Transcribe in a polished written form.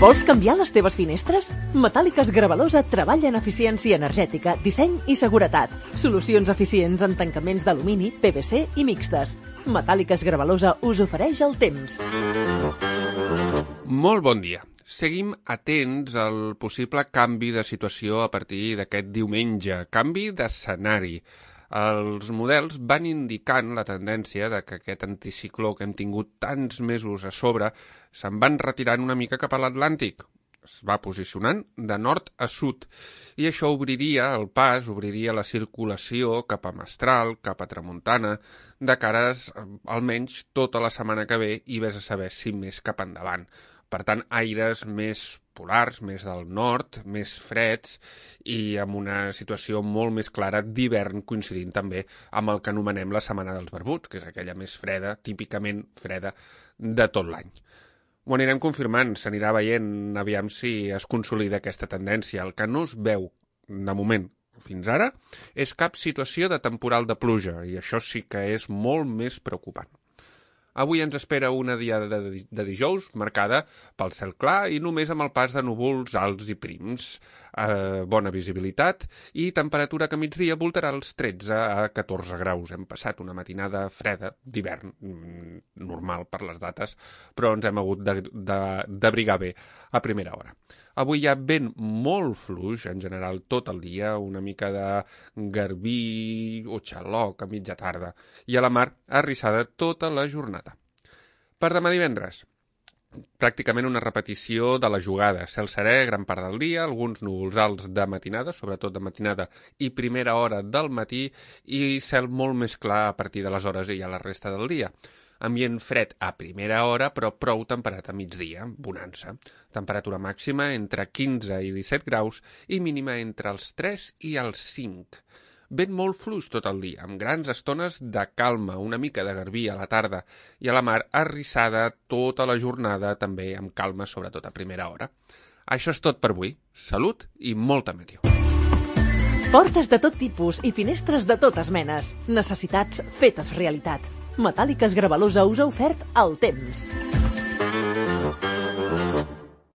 Vols canviar les teves finestres? Metàl·liques Gravalosa treballa en eficiència energètica, disseny i seguretat. Solucions eficients en tancaments d'alumini, PVC i mixtes. Metàl·liques Gravalosa us ofereix el temps. Molt bon dia. Seguim atents al possible canvi de situació a partir d'aquest diumenge. Canvi d'escenari. Els models van indicant la tendència de que aquest anticicló que hem tingut tants mesos a sobre se'n van retirant una mica cap a l'Atlàntic. Es va posicionant de nord a sud i això obriria el pas, obriria la circulació cap a Mestral, cap a Tramuntana, de cares almenys tota la setmana que ve i vés a saber si més cap endavant. Per tant, aires més polars, més del nord, més freds i amb una situació molt més clara d'hivern coincidint també amb el que anomenem la Setmana dels Barbuts, que és aquella més freda, típicament freda, de tot l'any. Ho anirem confirmant, s'anirà veient aviam si es consolida aquesta tendència. El que no es veu, de moment, fins ara, és cap situació de temporal de pluja i això sí que és molt més preocupant. Avui ens espera una diada de dijous marcada pel cel clar i només amb el pas de núvols alts i prims. Bona visibilitat i temperatura que a migdia voltarà els 13 a 14 graus. Hem passat una matinada freda d'hivern, normal per les dates, però ens hem hagut d'abrigar bé a primera hora. Avui hi ha vent molt fluix, en general tot el dia, una mica de garbí o xaloc a mitja tarda, i a la mar arrissada tota la jornada. Per demà divendres, pràcticament una repetició de la jugada. Cel serè gran part del dia, alguns núvols alts de matinada, sobretot de matinada i primera hora del matí, i cel molt més clar a partir de les hores i a la resta del dia. Ambient fred a primera hora, però prou temperat a migdia, bonança. Temperatura màxima entre 15 i 17 graus i mínima entre els 3 i els 5. Vent molt fluix tot el dia, amb grans estones de calma, una mica de garbí a la tarda, i a la mar arrissada tota la jornada, també amb calma, sobretot a primera hora. Això és tot per avui. Salut i molta meteo. Portes de tot tipus i finestres de totes menes. Necessitats fetes realitat. Metàl·liques Gravalosa us ha ofert el temps.